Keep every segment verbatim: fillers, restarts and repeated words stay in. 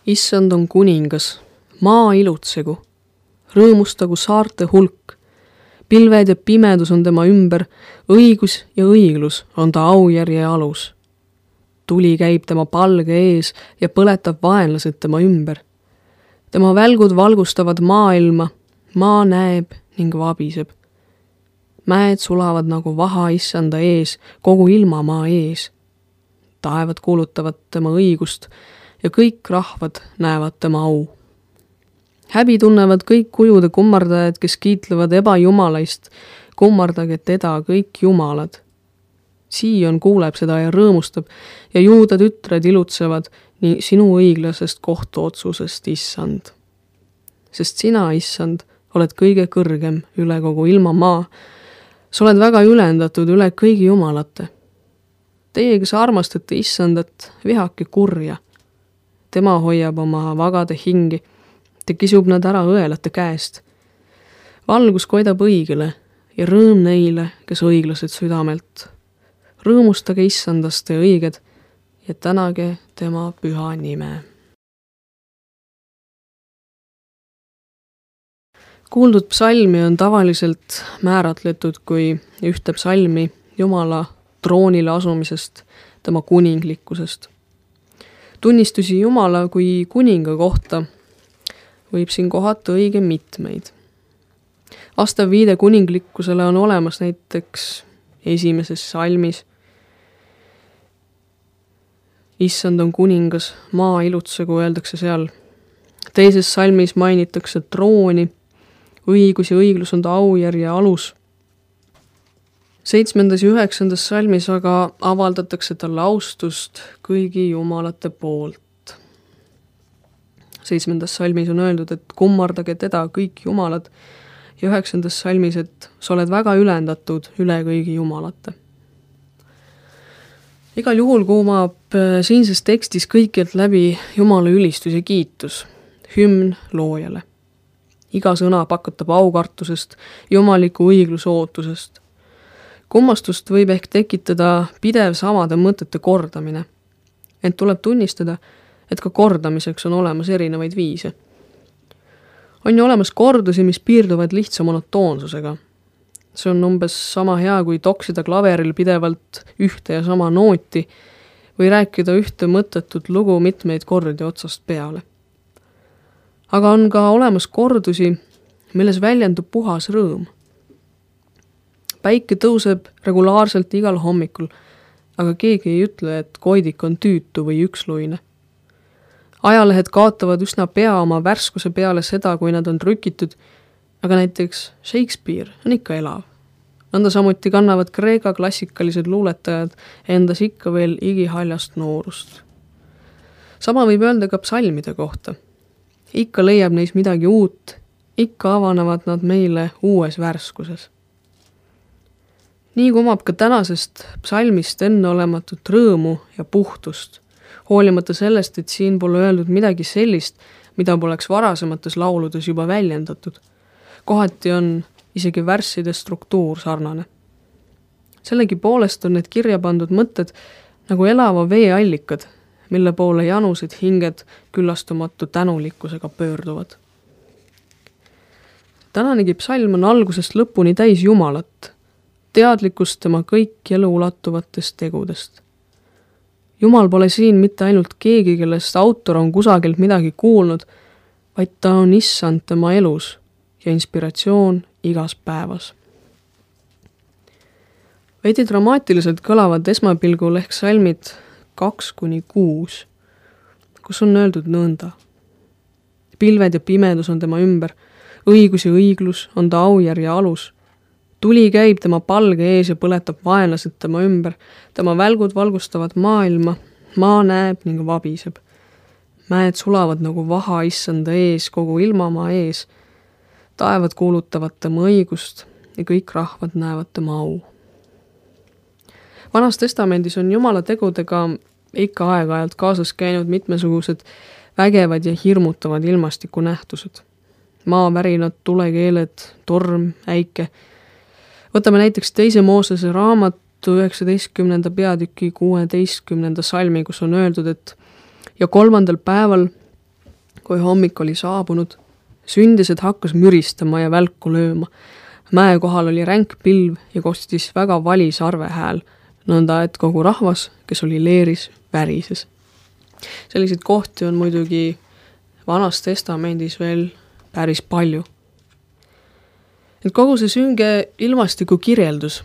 Issand on kuningas, maa ilutsegu, rõõmustagu saarte hulk. Pilved ja pimedus on tema ümber, õigus ja õiglus on ta aujärje alus. Tuli käib tema palge ees ja põletab vaenlased tema ümber. Tema välgud valgustavad maailma, maa näeb ning vabiseb. Mäed sulavad nagu vaha issanda ees, kogu ilmamaa ees. Taevad kuulutavad tema õigust ja kõik rahvad näevad tema au. Häbi tunnevad kõik kujude kummardajad, kes kiitlevad ebajumalaist, kummardage teda kõik jumalad. Siion kuuleb seda ja rõõmustab ja juuda tütred ilutsevad nii sinu õiglasest kohtuotsusest, issand. Sest sina, issand, oled kõige kõrgem üle kogu ilmamaa. Sa oled väga ülendatud üle kõigi jumalate. Teie, kes armastate issandat, vihake kurja. Tema hoiab oma vagade hingi, ta kisub nad ära õelate käest. Valgus koidab õigele ja rõõm neile, kes õiglased südamelt. Rõõmustage issandast ja õiged ja tänage tema püha nime. Kuuldud psalmi on tavaliselt määratletud kui ühte psalmi Jumala troonile asumisest, tema kuninglikkusest. Tunnistusi Jumala kui kuninga kohta võib siin kohata õige mitmeid. Vastav viide kuninglikkusele on olemas näiteks esimeses salmis. Issand on kuningas, maa ilutsegu, öeldakse seal. Teises salmis mainitakse trooni, õigus ja õiglus on ta aujärje alus. Seitsmendas ja üheksandas salmis aga avaldatakse talle austust kõigi jumalate poolt. Seitsmendas salmis on öeldud, et kummardage teda kõik jumalad ja üheksandas salmis, et sa oled väga ülendatud üle kõigi jumalate. Igal juhul kuumab siinses tekstis kõikjalt läbi Jumala ülistus ja kiitus, hümn loojale. Iga sõna pakutab aukartusest, jumaliku õigluse ootusest. Kummastust võib ehk tekitada pidev samade mõtete kordamine. Ent tuleb tunnistada, et ka kordamiseks on olemas erinevaid viise. On ju olemas kordusi, mis piirduvad lihtsa monotoonsusega. See on umbes sama hea, kui toksida klaveril pidevalt ühte ja sama nooti või rääkida ühte mõttetut lugu mitmeid kordi otsast peale. Aga on ka olemas kordusi, milles väljendub puhas rõõm. Päike tõuseb regulaarselt igal hommikul, aga keegi ei ütle, et koidik on tüütu või üksluine. Ajalehed kaotavad üsna pea oma värskuse peale seda, kui nad on trükitud, aga näiteks Shakespeare on ikka elav. Nõnda samuti kannavad Kreeka klassikalised luuletajad endas ikka veel igihaljast noorust. Sama võib öelda ka psalmide kohta. Ikka leiab neis midagi uut, ikka avanevad nad meile uues värskuses. Nii kumab ka tänasest psalmist enneolematut rõõmu ja puhtust, hoolimata sellest, et siin pole öeldud midagi sellist, mida poleks varasemates lauludes juba väljendatud. Kohati on isegi värsside struktuur sarnane. Sellegi poolest on need kirja pandud mõtted nagu elava veeallikad, mille poole janused hinged küllastumatu tänulikkusega pöörduvad. Tänanegi psalm on algusest lõpuni täis Jumalat, teadlikkust tema kõik elu ulatuvatest tegudest. Jumal pole siin mitte ainult keegi, kellest autor on kusagilt midagi kuulnud, vaid ta on issand tema elus ja inspiratsioon igas päevas. Veidi dramaatiliselt kõlavad esmapilgul ehk salmid kaks kuni kuus, kus on öeldud nõnda. Pilved ja pimedus on tema ümber, õigus ja õiglus on ta aujärje alus. Tuli käib tema palge ees ja põletab vaenlased tema ümber, tema välgud valgustavad maailma, maa näeb ning vabiseb. Mäed sulavad nagu vaha issanda ees, kogu ilmamaa ees. Taevad kuulutavad tema õigust ja kõik rahvad näevad tema au. Vanas testamendis on Jumala tegudega ikka aeg-ajalt kaasas käinud mitmesugused vägevad ja hirmutavad ilmastiku nähtused. Maavärinad, tulekeeled, torm, äike. Võtame näiteks teise Moosese raamatu üheksateistkümnenda peatüki kuueteistkümnenda salmi, kus on öeldud, et ja kolmandal päeval Kui hommik oli saabunud, sündised hakkas müristama ja välku lööma. Mäe kohal oli ränk pilv ja kostis väga vali sarvehääl, nõnda et kogu rahvas, kes oli leeris, värises. Selliseid kohti on muidugi Vanas testamendis veel päris palju. Et kogu see sünge ilmastiku kirjeldus,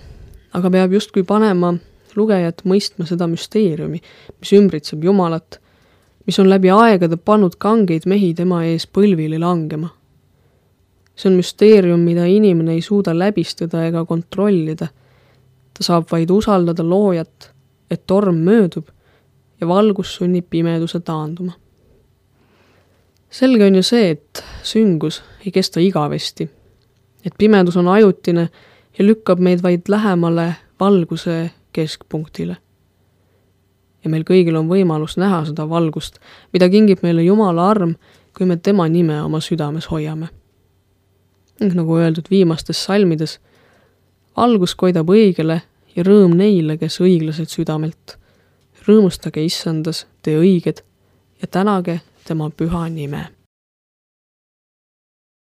aga peab justkui panema lugejat mõistma seda müsteeriumi, mis ümbritseb Jumalat, mis on läbi aegade pannud kangeid mehi tema ees põlvili langema. See on müsteerium, mida inimene ei suuda läbistada ega kontrollida. Ta saab vaid usaldada loojat, et torm möödub ja valgus sunnib pimeduse taanduma. Selge on ju see, et süngus ei kesta igavesti, et pimedus on ajutine ja lükkab meid vaid lähemale valguse keskpunktile. Ja meil kõigil on võimalus näha seda valgust, mida kingib meile Jumala arm, kui me tema nime oma südames hoiame. Nagu öeldud viimastes salmides, valgus koidab õigele ja rõõm neile, kes õiglased südamelt. Rõõmustage issandas, tee õiged ja tänage tema püha nime.